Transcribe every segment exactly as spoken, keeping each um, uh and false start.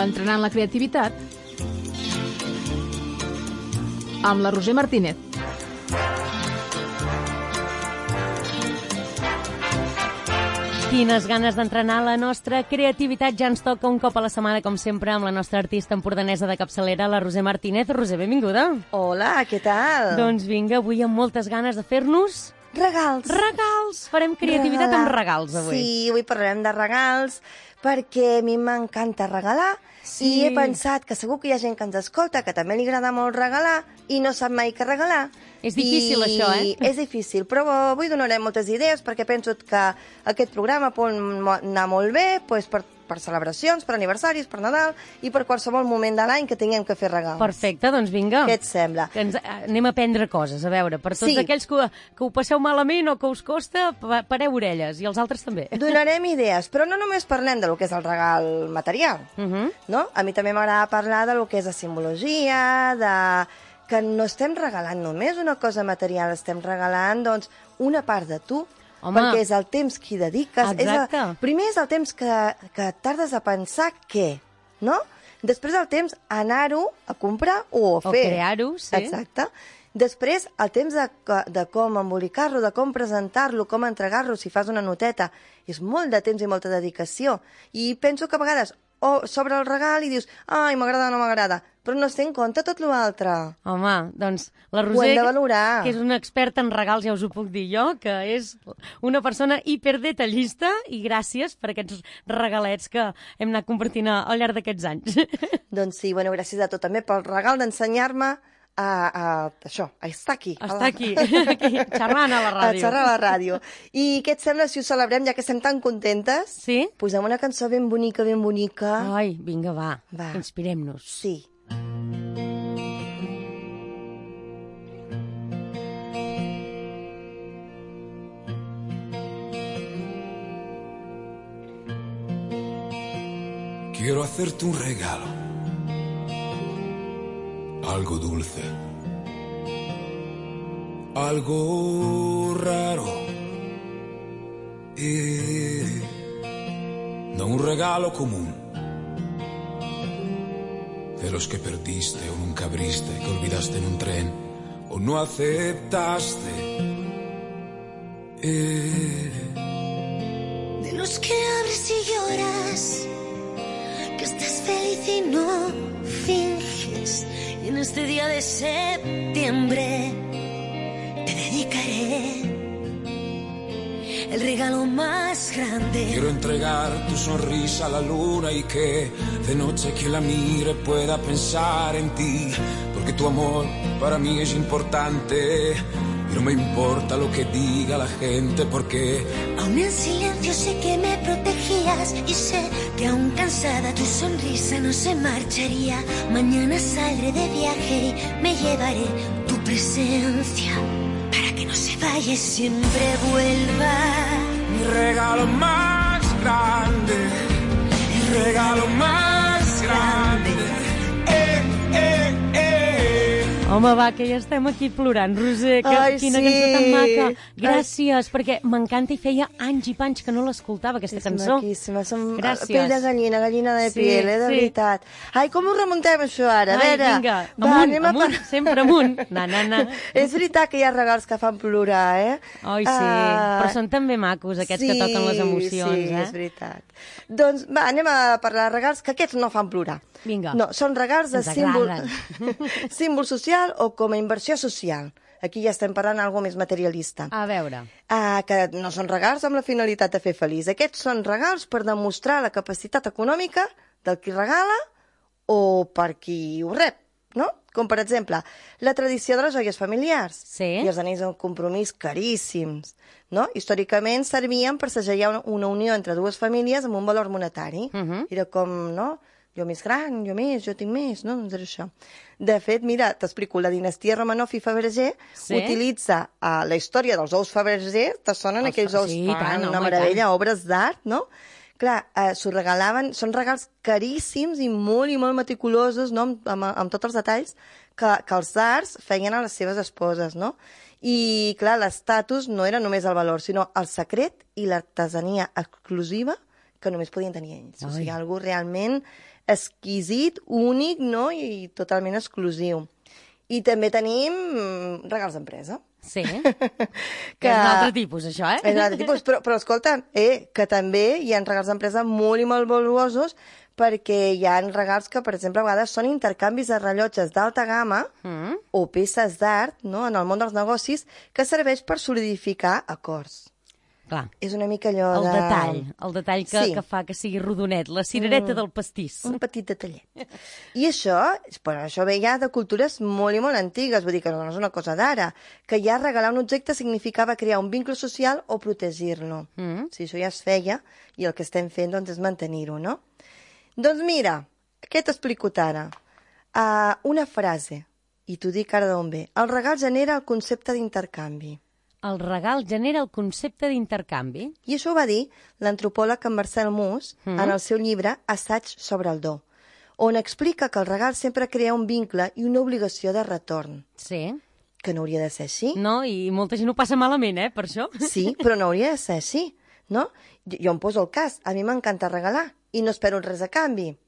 Entrenant la creativitat amb la Roser Martínez. Quines ganes d'entrenar la nostra creativitat. Ja ens toca un cop a la setmana, com sempre, amb la nostra artista empordanesa de capçalera, la Roser Martínez. Roser, benvinguda. Hola, què tal? Doncs vinga, avui amb moltes ganes de fer-nos... Regals. Regals. Farem creativitat Regalar. amb regals, avui. Sí, avui parlarem de regals, perquè a mi m'encanta regalar, Sí. i he pensat que segur que hi ha gent que ens escolta que també li agrada molt regalar i no sap mai què regalar. És difícil, I això, eh? És difícil, però avui donarem moltes idees perquè penso que aquest programa pot anar molt bé doncs, per, per celebracions, per aniversaris, per Nadal i per qualsevol moment de l'any que tinguem que fer regals. Perfecte, doncs vinga. Què et sembla? Que ens, anem a aprendre coses, a veure, per tots Sí. aquells que, que ho passeu malament o que us costa, pa- pareu orelles, i els altres també. Donarem idees, però no només parlem de lo que és el regal material, Uh -huh. no? A mi també m'agrada parlar de lo que és la simbologia, de que no estem regalant només una cosa material, estem regalant, doncs, una part de tu, Home. perquè és el temps que hi dediques. Exacte. És el, primer és el temps que, que tardes a pensar què, no? Després el temps a anar-ho a comprar o a O fer. crear-ho, sí. Exacte. Després, el temps de, de com embolicar-lo, de com presentar-lo, com entregar-lo, si fas una noteta, és molt de temps i molta dedicació. I penso que a vegades o sobre el regal i dius, ai, m'agrada o no m'agrada, però no es té en compte tot l'altre. Home, doncs la Ho Roser, hem de valorar. que és una experta en regals, ja us ho puc dir jo, que és una persona hiperdetallista, i gràcies per aquests regalets que hem anat compartint al llarg d'aquests anys. Doncs sí, bueno, gràcies a tu també pel regal d'ensenyar-me a, a, això, a estar aquí. a Està la- aquí, aquí, xerrant a la A ràdio. xerrar a la ràdio. I què et sembla si ho celebrem, ja que estem tan contentes? Sí? Posem una cançó ben bonica, ben bonica. Ai, vinga, va, Va. inspirem-nos. Sí. Quiero hacerte un regalo, algo dulce, algo raro, y no un regalo común, de los que perdiste o nunca abriste, que olvidaste en un tren o no aceptaste. Eh, De los que abres y lloras, que estás feliz y no finges. Y en este día de septiembre te dedicaré el regalo más grande. Quiero entregar tu sonrisa a la luna y que de noche quien la mire pueda pensar en ti, porque tu amor para mí es importante y no me importa lo que diga la gente, porque Aún en silencio sé que me protegías y sé que aún cansada tu sonrisa no se marcharía. Mañana saldré de viaje y me llevaré tu presencia para que no se vaya y siempre vuelva. mi regalo más grande, mi regalo más grande. Eh, eh, eh. Home, va, que ja estem aquí plorant. Roser, que, Ai, quina sí. cançó tan maca. Gràcies, perquè m'encanta i feia anys i panys que no l'escoltava, aquesta És cançó. maquíssima, som Gràcies. pell de gallina, gallina de Sí, piel, eh, de sí. veritat. Ai, com ho remuntem, això, ara? A Ai, veure, vinga, va, amunt, anem a amunt, par- sempre amunt. Na, na, na. És veritat que hi ha regals que fan plorar, eh? Ai, sí, Ah, però són també macos, aquests que toquen les emocions, sí, eh? és veritat. Doncs va, anem a parlar de regals que aquests no fan plorar. Vinga. No, són regals de Ens símbol, agraden. símbol social o com a inversió social. Aquí ja estem parlant d'alguna més materialista. A veure, Ah, que no són regals amb la finalitat de fer feliç. Aquests són regals per demostrar la capacitat econòmica del qui regala o per qui ho rep, no? Com, per exemple, la tradició de les joies familiars Sí. i els anells de compromís caríssims, no? Històricament servien per segellar una, una unió entre dues famílies amb un valor monetari. Mhm. Era com, no?, jo més gran, jo més, jo tinc més, no? Doncs era això. De fet, mira, t'explico, la dinastia Romanov i Fabergé Sí. utilitza uh, la història dels ous Fabergé, te sonen Els aquells fa- ous, sí, i fan tant, una home, i meravella, obres d'art, no? Clar, eh, s'ho regalaven, són regals caríssims i molt i molt meticulosos, no?, amb, amb, amb tots els detalls que, que els tsars feien a les seves esposes, no? I, clar, l'estatus no era només el valor, sinó el secret i l'artesania exclusiva que només podien tenir ells. Ai. O sigui, algo realment exquisit, únic, no? I totalment exclusiu. I també tenim regals d'empresa. Sí, que és un altre tipus, això, eh? És un altre tipus, però, però escolta, eh, que també hi ha regals d'empresa molt i molt valuosos, perquè hi ha regals que, per exemple, a vegades són intercanvis de rellotges d'alta gamma Mm. o peces d'art, no?, en el món dels negocis, que serveix per solidificar acords. Clar. És una mica allò El de... detall, el detall que, Sí. que fa que sigui rodonet, la cirereta mm. del pastís. Un petit detallet. I això, però això ve ja de cultures molt i molt antigues, vull dir que no és una cosa d'ara, que ja regalar un objecte significava crear un vincle social o protegir-lo. Mm. Si això ja es feia, i el que estem fent doncs, és mantenir-ho, no? Doncs mira, què t'explico ara? Uh, una frase, i t'ho dic ara d'on ve. El regal genera el concepte d'intercanvi. El regal genera el concepte d'intercanvi. I això ho va dir l'antropòleg en Marcel Mauss Mm. en el seu llibre Assaig sobre el do, on explica que el regal sempre crea un vincle i una obligació de retorn, Sí. que no hauria de ser així. No, i molta gent ho passa malament, eh, per això. Sí, però no hauria de ser així, no? Jo, jo em poso el cas, a mi m'encanta regalar i no espero res a canvi.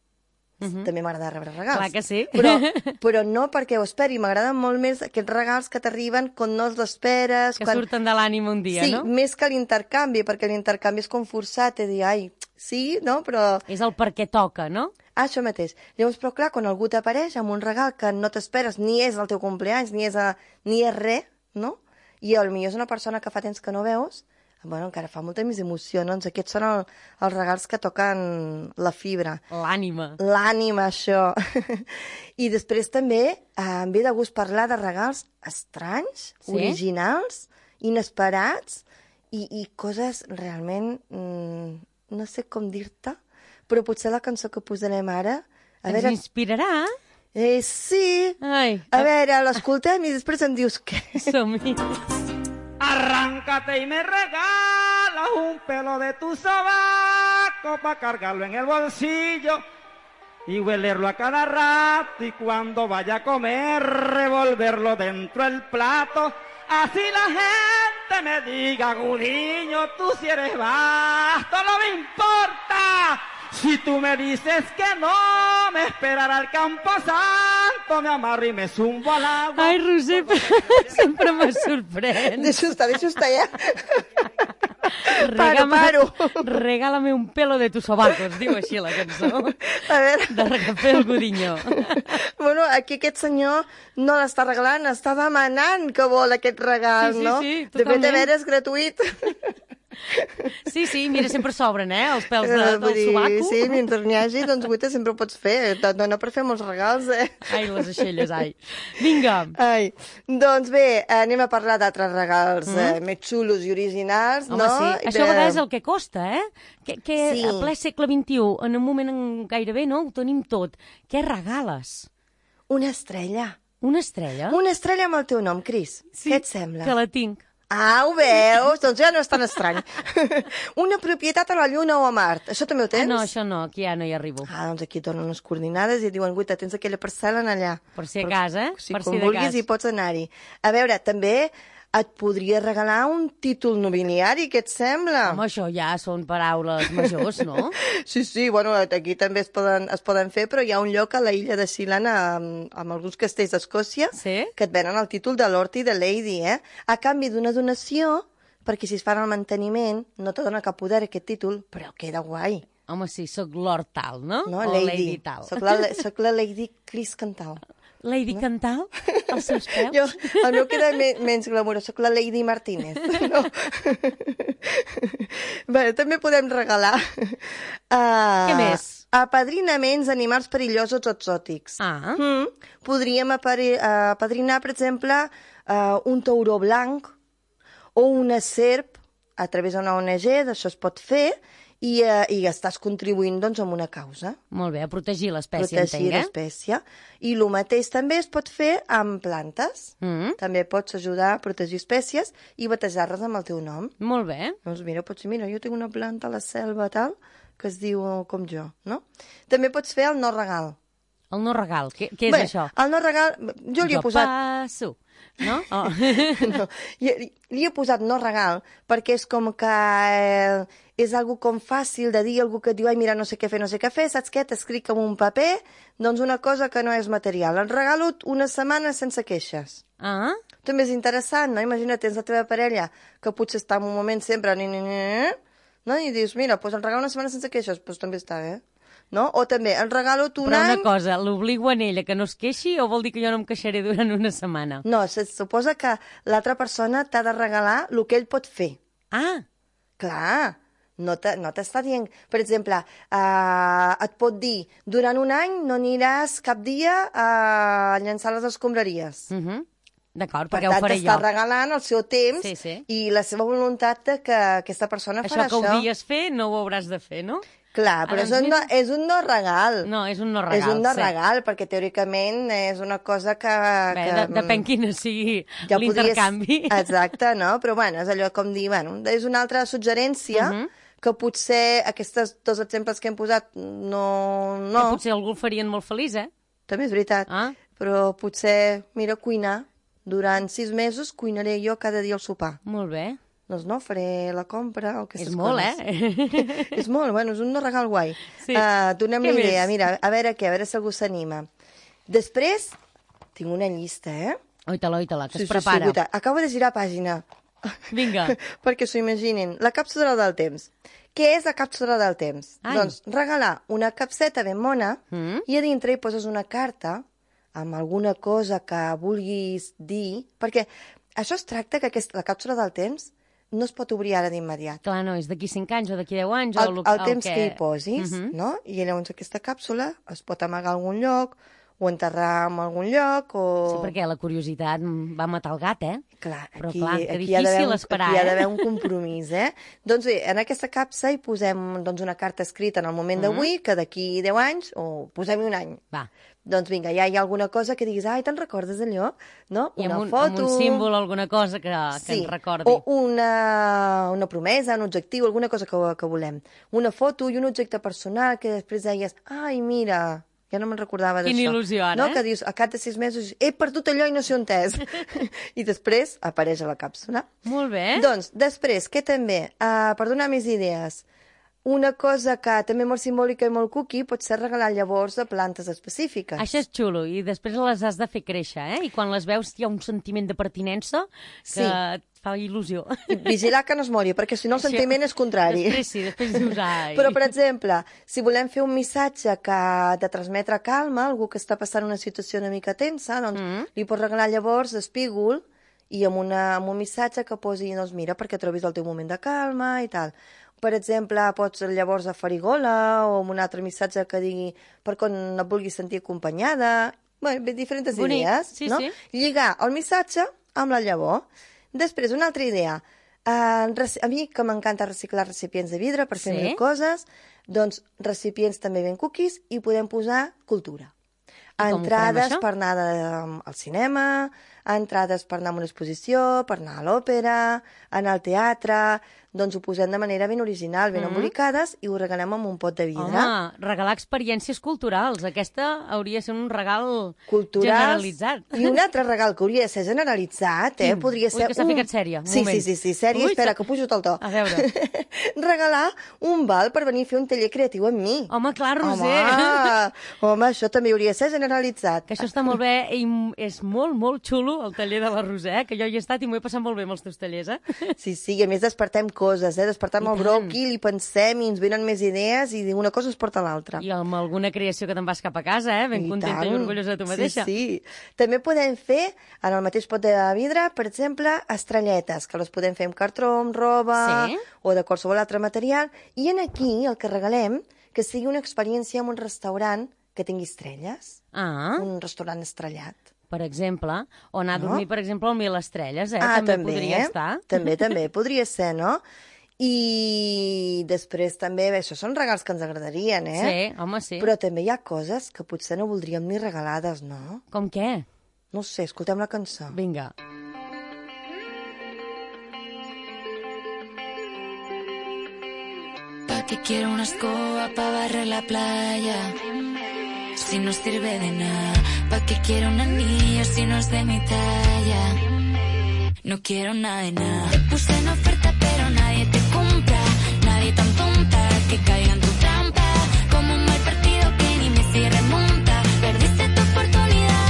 Mhm. També m'agrada rebre regals. Clar que sí. Però, però no perquè ho esperi, m'agraden molt més aquests regals que t'arriben quan no els esperes. Que quan... surten de l'ànima un dia, sí, no? més que l'intercanvi, perquè l'intercanvi és com forçat, i dir, ai, sí, no, però... És el perquè toca, no? Ah, això mateix. Llavors, però clar, quan algú t'apareix amb un regal que no t'esperes, ni és el teu compleanys, ni és, a, ni és res, no? I potser és una persona que fa temps que no veus, bueno, encara fa molta més emoció, no? Doncs aquests són el, els regals que toquen la fibra. L'ànima. L'ànima, això. I després també eh, em ve de gust parlar de regals estranys, Sí? originals, inesperats, i, i coses realment... Mm, no sé com dir-te, però potser la cançó que posarem ara... A Ens veure, inspirarà? eh, sí, Ai, a veure, l'escoltem i després em dius què. som-hi. Arráncate y me regalas un pelo de tu sobaco para cargarlo en el bolsillo y huelerlo a cada rato y cuando vaya a comer revolverlo dentro del plato. Así la gente me diga, Gudiño, tú si eres vasto, no me importa. Si tú me dices que no, me esperarà al Camposanto, me amarro i me zumbo al agua. Ai, Roser, sempre me sorprèn. Deixa estar, deixa estar ja. Paro, Regálame- paro. Regálame un pelo de tus sobacos, diu així la cançó. A veure... De Rafael Gudiño. Bueno, aquí aquest senyor no l'està regalant, està demanant que vol aquest regal, Sí, sí, no? sí, De fet, totalment. a veure, és gratuït. Sí, sí, mira, sempre s'obren, eh, els pèls de, Eh, vull del dir, sobaco. sí, mentre n'hi hagi, doncs guaita sempre ho pots fer. Et dona per fer molts regals, eh? Ai, les aixelles, ai. Vinga. Ai, doncs bé, anem a parlar d'altres regals mm. eh, més xulos i originals, Home, no? sí. Això a vegades és el que costa, eh? Que, que Sí. a ple segle vint-i-u, en un moment en gairebé, no?, ho tenim tot. Què regales? Una estrella. Una estrella? Una estrella amb el teu nom, Cris. Què et sembla? Que la tinc. Ah, ho veus? Doncs ja no és tan estrany. Una propietat a la Lluna o a Mart. Això també ho Ah, tens? no, això no, aquí ja no hi arribo. Ah, doncs aquí et donen unes coordinades i et diuen, guaita, tens aquella parcel·la en allà. Per si a cas, eh? Si Per com si de vulguis cas. hi pots anar-hi. A veure, també et podria regalar un títol nobiliari, què et sembla? Home, això ja són paraules majors, no? Sí, sí, bueno, aquí també es poden, es poden fer, però hi ha un lloc a la illa de Sealand amb, amb alguns castells d'Escòcia Sí? que et venen el títol de Lord i de Lady, eh? A canvi d'una donació, perquè si es fan el manteniment no te dona cap poder aquest títol, però queda guai, Home, sí, sóc Lord tal, no? no? O Lady. Lady tal. Soc la, soc la Lady Cris Cantal. Lady Cantal? Els seus peus? Jo, el meu queda me, menys glamurós, soc la Lady Martínez. No? Bé, també podem regalar uh, Què més? apadrinaments d'animals perillosos o exòtics. Ah. Mm. Podríem apari- uh, apadrinar, per exemple, uh, un tauró blanc o una serp a través d'una O N G, d'això es pot fer, i, uh, i estàs contribuint doncs, a una causa. Molt bé, a protegir l'espècie, Protegir entenc, eh? l'espècie. I el mateix també es pot fer amb plantes. Mm. També pots ajudar a protegir espècies i batejar-les amb el teu nom. Molt bé. Doncs mira, pots dir, mira, jo tinc una planta a la selva tal, que es diu com jo, no? També pots fer el no regal. El no regal, què, què és Bé, això? el no regal, jo li he Jo posat... passo, no? Oh. No, li, li he posat no regal perquè és com que eh, és algo com fàcil de dir, algú que et diu, ai, mira, no sé què fer, no sé què fer, saps què? T'escric en un paper, doncs una cosa que no és material. Et regalo una setmana sense queixes. Ah? També és interessant, no? Imagina't, tens la teva parella, que potser està en un moment sempre, ni, ni, ni, no? I dius, mira, doncs em regalo una setmana sense queixes, doncs també està bé. No? O també, el regalo tu un Però any... una cosa, l'obligo a ella que no es queixi o vol dir que jo no em queixaré durant una setmana? No, se suposa que l'altra persona t'ha de regalar el que ell pot fer. Ah! Clar, no t'està dient... Per exemple, uh, et pot dir, durant un any no aniràs cap dia a llançar les escombraries. Uh -huh. D'acord, Per perquè tant, ho faré jo. t'està regalant el seu temps sí, sí. i la seva voluntat de que aquesta persona això farà això. Això que odies fer no ho hauràs de fer, no? Clar, però Ara, és un, no, és un no regal. No, és un no regal. És un no sí. regal, perquè teòricament és una cosa que... Bé, que de, depèn quina sigui ja l'intercanvi. Podries... Exacte, no? Però bueno, és allò com dir, bueno, és una altra suggerència uh -huh. que potser aquests dos exemples que hem posat no... no. Que potser algú el farien molt feliç, eh? També és veritat. Ah. Però potser, mira, cuinar. Durant sis mesos cuinaré jo cada dia el sopar. Molt bé. Doncs no, faré la compra o aquestes és molt, coses. eh? És molt, bueno, és un no regal guai. Sí. Uh, donem Què la idea, més? mira, a veure què, a veure si algú s'anima. Després, tinc una llista, eh? Oita-la, oita-la, que sí, es prepara. Sí, sí, acabo de girar pàgina. Vinga. Perquè s'ho imaginin. La càpsula del temps. Què és la càpsula del temps? Ai. Doncs regalar una capseta ben mona Mm. i a dintre hi poses una carta amb alguna cosa que vulguis dir, perquè això es tracta que aquesta, la càpsula del temps no es pot obrir ara d'immediat. Clar, no, és d'aquí cinc anys o d'aquí deu anys. El, o el, el temps que... que hi posis, uh -huh. no? I llavors aquesta càpsula es pot amagar a algun lloc o enterrar en algun lloc o... Sí, perquè la curiositat va matar el gat, eh? Clar, Però aquí, clar, que aquí difícil hi ha d'haver un, esperar, aquí hi ha eh? d'haver un compromís, eh? Doncs bé, en aquesta capsa hi posem doncs, una carta escrita en el moment Mm. d'avui, que d'aquí deu anys, o posem-hi un any. Va. Doncs vinga, ja hi ha alguna cosa que diguis, ai, te'n recordes d'allò? No? I Una amb un, foto... amb un símbol, alguna cosa que, que sí. ens recordi. O una, una promesa, un objectiu, alguna cosa que, que volem. Una foto i un objecte personal que després deies, ai, mira... Ja no me'n recordava d'això. Quina il·lusió, ara, no? eh? Que dius, a cap de sis mesos, he perdut allò i no sé on és. I després apareix a la càpsula. Molt bé. Doncs, després, què també? Uh, per donar més idees, una cosa que també molt simbòlica i molt cookie pot ser regalar llavors de plantes específiques. Això és xulo, i després les has de fer créixer, eh? I quan les veus hi ha un sentiment de pertinença que Sí. et fa il·lusió. I vigilar que no es mori, perquè si no el Això- sentiment és contrari. Després sí, després dius, ai... Però, per exemple, si volem fer un missatge que de transmetre calma, algú que està passant una situació una mica tensa, doncs Mm. li pots regalar llavors espígol i amb, una, amb un missatge que posi, doncs mira, perquè trobis el teu moment de calma i tal. Per exemple, pots llavors a farigola o amb un altre missatge que digui per quan et vulguis sentir acompanyada. Bé, bé diferents Bonic, idees, sí, no? sí. Lligar el missatge amb la llavor. Després, una altra idea. Uh, a mi, que m'encanta reciclar recipients de vidre per fer Sí. mil coses, doncs recipients també ben cookies i podem posar cultura. I com ho farem, Entrades això? per anar de, al cinema, entrades per anar a una exposició, per anar a l'òpera, anar al teatre... Doncs ho posem de manera ben original, ben Mm. embolicades, i ho regalem amb un pot de vidre. Home, regalar experiències culturals. Aquesta hauria de ser un regal Culturals. generalitzat. I un altre regal que hauria de ser generalitzat, eh? Quin? Podria Ui, ser que s'ha un... ficat sèria, un Sí, moment. sí, sí, sí, sèria. Ui, Espera, s'ha- que pujo el to. A veure. Regalar un val per venir a fer un taller creatiu amb mi. Home, clar, Roser. Home, home, això també hauria de ser generalitzat. Que això està molt bé i m- és molt, molt xulo, el taller de la Roser, eh? Que jo hi he estat i m'ho he passat molt bé amb els teus tallers, eh? Sí, sí, i a més despertem coses, eh? Despertem I el tant. bròquil i pensem i ens venen més idees i una cosa ens porta a l'altra. I amb alguna creació que te'n vas cap a casa, eh? Ben I contenta tant. i orgullosa de tu mateixa. Sí, sí. També podem fer, en el mateix pot de vidre, per exemple, estrelletes, que les podem fer amb cartró, amb roba, Sí. o de qualsevol altre material. I en aquí, el que regalem, que sigui una experiència en un restaurant que tingui estrelles. Ah, Un restaurant estrellat. per exemple. O anar a No? dormir, per exemple, al Mil Estrelles, eh? Ah, també, també, podria estar. També, també, podria ser, no? I després també, bé, això són regals que ens agradarien, eh? Sí, home, sí. Però també hi ha coses que potser no voldríem ni regalades, no? Com què? No sé, escoltem la cançó. Vinga. ¿Pa' qué quiero una escoba pa' barrer la playa? Si no sirve de nada. ¿Pa' qué quiero un anillo si no es de mi talla? No quiero nada de nada. Te puse en oferta pero nadie te compra. Nadie tampoco que caiga en tu trampa. Como un mal partido que ni Messi remonta. Perdiste tu oportunidad.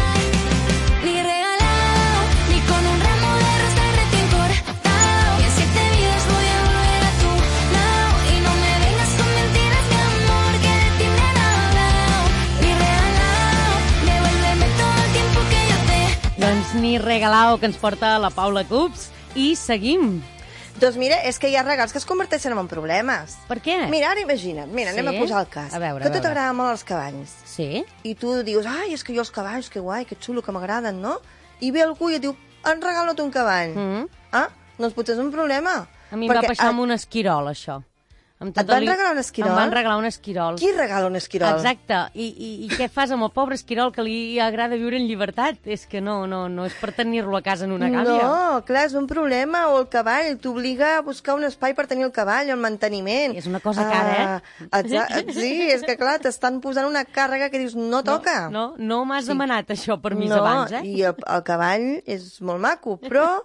Ni regalado, ni con un ramo de rosas recién cortado. Y en siete vidas voy a volver a tu lado. Y no me vengas con mentiras de amor que de ti me han hablado. Ni regalado, devuélveme todo el tiempo que yo te... Doncs ni regalao, que ens porta la Paula Cups. I seguim. Doncs mira, és que hi ha regals que es converteixen en problemes. Per què? Mira, ara imagina't, mira, Sí? anem a posar el cas. A veure, que a a tu veure. t'agraden molt els cavalls. Sí? I tu dius, ai, és que jo els cavalls, que guai, que xulo, que m'agraden, no? I ve algú i et diu, em regalo un cavall. Mm. Ah, doncs potser és un problema. A mi em va passar amb un esquirol, això. Amb Et van regalar un esquirol? Em van regalar un esquirol. Qui regala un esquirol? Exacte. I, i, I què fas amb el pobre esquirol que li agrada viure en llibertat? És que no, no, no és per tenir-lo a casa en una gàbia. No, clar, és un problema. O el cavall t'obliga a buscar un espai per tenir el cavall, el manteniment. És una cosa cara, eh? Ah, exa- sí, és que clar, t'estan posant una càrrega que dius, no toca. No, no, no m'has demanat això permís no, abans, eh? i el, el cavall és molt maco, però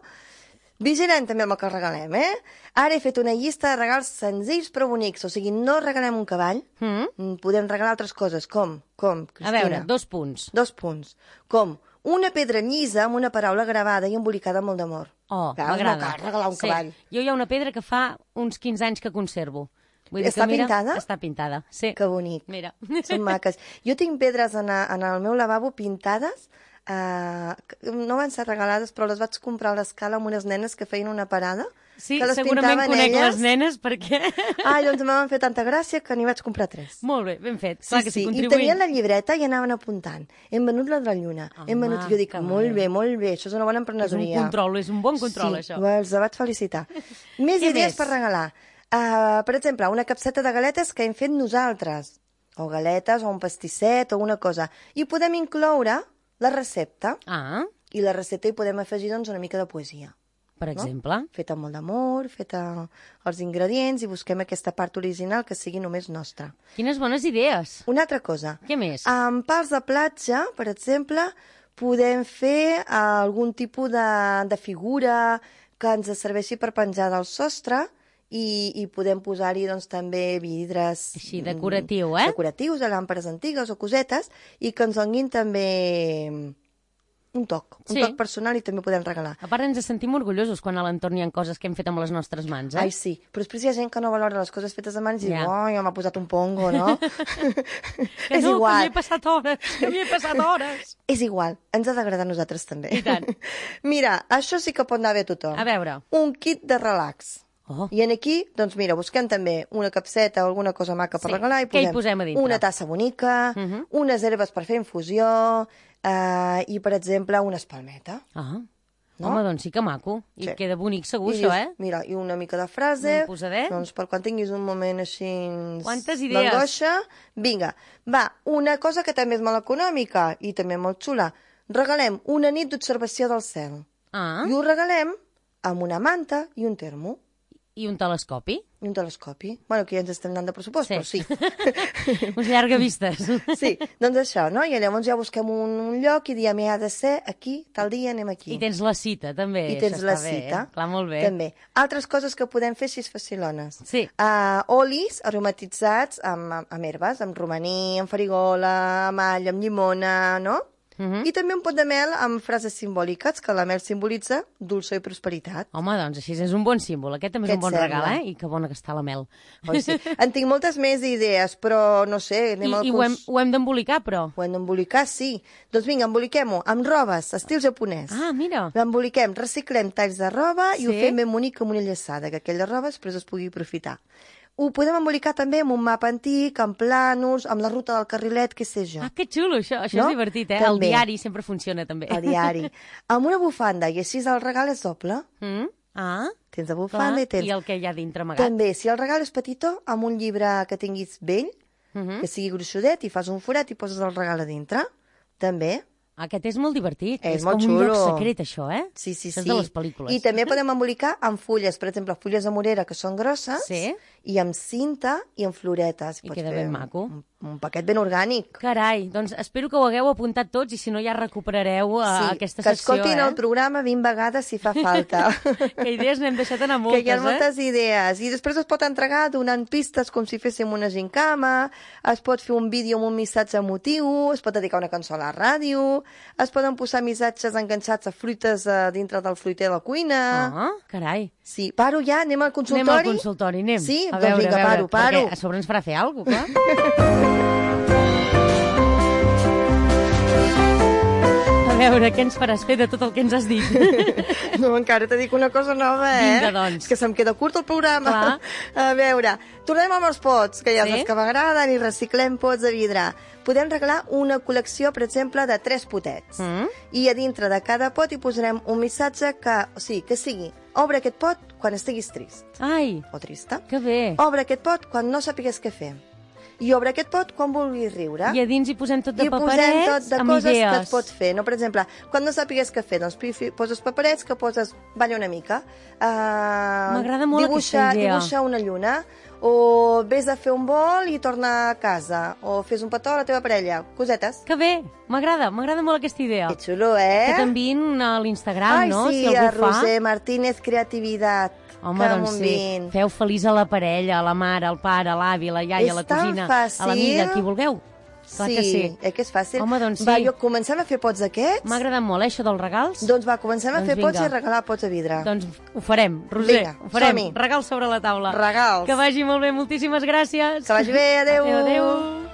vigilem també amb el que regalem, eh? Ara he fet una llista de regals senzills però bonics, o sigui, no regalem un cavall, Mm? podem regalar altres coses, com? Com, Cristina? A veure, dos punts. Dos punts. Com? Una pedra llisa amb una paraula gravada i embolicada amb molt d'amor. Oh, Clar, és m'agrada. molt car regalar un Sí. cavall. Jo hi ha una pedra que fa uns quinze anys que conservo. Vull dir Està que, mira, pintada? Està pintada, sí. Que bonic. Mira. Són maques. Jo tinc pedres en, a, en el meu lavabo pintades, eh, que no van ser regalades, però les vaig comprar a l'escala amb unes nenes que feien una parada. Sí, que les segurament pintaven conec elles. les nenes perquè... Ai, doncs me van fer tanta gràcia que n'hi vaig comprar tres. Molt bé, ben fet. Sí, Clar que sí, sí, i contribuint. tenien la llibreta i anaven apuntant. Hem venut la de la lluna. Home, hem venut... Jo dic, que molt bé. bé, molt bé, això és una bona És un emprenedoria. control, és un bon control, sí, això. els vaig felicitar. Més Què idees més? per regalar. Uh, per exemple, una capseta de galetes que hem fet nosaltres. O galetes, o un pastisset, o una cosa. I podem incloure la recepta. Ah, I la recepta hi podem afegir doncs, una mica de poesia. per exemple. Feta amb molt d'amor, feta els ingredients, i busquem aquesta part original que sigui només nostra. Quines bones idees. Una altra cosa. Què més? Amb pals de platja, per exemple, podem fer algun tipus de, de figura que ens serveixi per penjar del sostre i, i podem posar-hi doncs, també vidres... Així, decoratiu, eh? Decoratius, de làmperes antigues o cosetes, i que ens donin també un toc, un Sí. toc personal, i també podem regalar. A part, ens sentim orgullosos quan a l'entorn hi ha coses que hem fet amb les nostres mans, eh? Ai, sí, però després hi ha gent que no valora les coses fetes a mans i Ja. diu, oh, ja m'ha posat un pongo, no? Que És no, igual. que m'hi he passat hores, que m'hi he passat hores. És igual, ens ha d'agradar a nosaltres també. I tant. Mira, això sí que pot anar bé a tothom. A veure. Un kit de relax. Oh. I en aquí, doncs mira, busquem també una capseta o alguna cosa maca per Sí. regalar i Què hi posem, posem a dintre? una tassa bonica, Uh -huh. unes herbes per fer infusió eh, i, per exemple, una espalmeta. Ah, No? home, doncs sí que maco. I Sí. queda bonic segur, I això, dius, eh? Mira, i una mica de frase, Ben posadet. doncs per quan tinguis un moment així... Quantes idees. d'angoixa, vinga. Va, una cosa que també és molt econòmica i també molt xula. Regalem una nit d'observació del cel. Ah, I ho regalem amb una manta i un termo. i un telescopi. I un telescopi. Bueno, que ja ens estem anant de pressupost, Sí. però sí. Uns llargavistes. Sí, doncs això, no? I llavors ja busquem un, un lloc i diem, ha de ser aquí, tal dia anem aquí. I tens la cita, també. I tens això la està bé, cita. Eh? Clar, molt bé. També. Altres coses que podem fer així facilones. Sí. Uh, olis aromatitzats amb, amb, amb herbes, amb romaní, amb farigola, amb all, amb llimona, no? Uh -huh. I també un pot de mel amb frases simbòliques, que la mel simbolitza dolçor i prosperitat. Home, doncs així és un bon símbol. Aquest també Què és et un bon sembla? regal, eh? I que bona que està la mel. Oi, sí. En tinc moltes més idees, però no sé, I, anem al i ho curs... hem, ho hem d'embolicar, però. Ho hem d'embolicar, sí. Doncs vinga, emboliquem-ho amb robes, estil japonès. Ah, mira. L'emboliquem, reciclem talls de roba i ho Sí. fem ben bonic amb una llaçada, que aquella roba després es pugui aprofitar. Ho podem embolicar també amb un mapa antic, amb plànols, amb la ruta del carrilet, què sé jo. Ah, que xulo, això. Això No? és divertit, eh? També. El diari sempre funciona, també. El diari. Amb una bufanda, i així el regal és doble. Mm? Ah, Tens la bufanda clar. i tens... I el que hi ha dintre amagat. També, si el regal és petitó, amb un llibre que tinguis vell, Uh -huh. que sigui gruixudet, i fas un forat i poses el regal a dintre. També. Aquest és molt divertit. És és molt com un lloc xulo. secret, això, eh? Sí, sí, Això sí. és de les pel·lícules. I també podem embolicar amb fulles, per exemple, fulles de morera que són grosses, Sí. i amb cinta i amb floretes. I Pots queda fer ben maco. Un, un paquet ben orgànic. Carai, doncs espero que ho hagueu apuntat tots i si no ja recuperareu uh, Sí, aquesta que secció, escoltin eh? el programa vint vegades si fa falta. Que idees n'hem deixat anar moltes, que hi ha moltes eh? idees. I després es pot entregar donant pistes com si féssim una gincama, es pot fer un vídeo amb un missatge emotiu, es pot dedicar una cançó a la ràdio, es poden posar missatges enganxats a fruites a dintre del fruiter de la cuina. Ah, carai. Sí, paro ja, anem al consultori? Anem al consultori, anem. Sí? A Doncs veure, vinga, a veure, paro, paro. Perquè a sobre ens farà fer alguna cosa, clar. A veure, què ens faràs fer de tot el que ens has dit? No, encara te dic una cosa nova, eh? Vinga, doncs. És que se'm queda curt el programa. Clar. A veure, tornem amb els pots, que ja Sí? saps que m'agraden, i reciclem pots de vidre. Podem regalar una col·lecció, per exemple, de tres potets. Mm? I a dintre de cada pot hi posarem un missatge que, o sigui, que sigui obre aquest pot quan estiguis trist Ai, o trista. que bé. Obre aquest pot quan no sàpigues què fer. I obre aquest pot quan vulguis riure. I a dins hi posem tot de I posem tot paperets de amb coses idees. que es pot fer, no? Per exemple, quan no sàpigues què fer, doncs pi- fi- poses paperets que poses, balla una mica. Uh, M'agrada molt dibuixa, aquesta idea. Dibuixa una lluna, o vés a fer un vol i torna a casa, o fes un petó a la teva parella, cosetes. Que bé, m'agrada, m'agrada molt aquesta idea. Que xulo, eh? Que t'enviïn a l'Instagram, Ai, no? sí, Si a algú fa. Roser Martínez Creativitat. Home, que doncs m'ho sí, enviïn. feu feliç a la parella, a la mare, al pare, a l'avi, a la iaia, És a la tan cosina, fàcil. a l'amiga, qui vulgueu. Clar sí, que sí. eh, que és fàcil. Home, doncs Va, sí. jo, comencem a fer pots d'aquests? M'ha agradat molt, eh, això dels regals. Doncs va, comencem a Doncs fer pots vinga. i a regalar pots de vidre. Doncs ho farem, Roser, Vinga, ho farem. som-hi. Regals sobre la taula. Regals. Que vagi molt bé, moltíssimes gràcies. Que vagi bé, adéu. Adéu, adéu.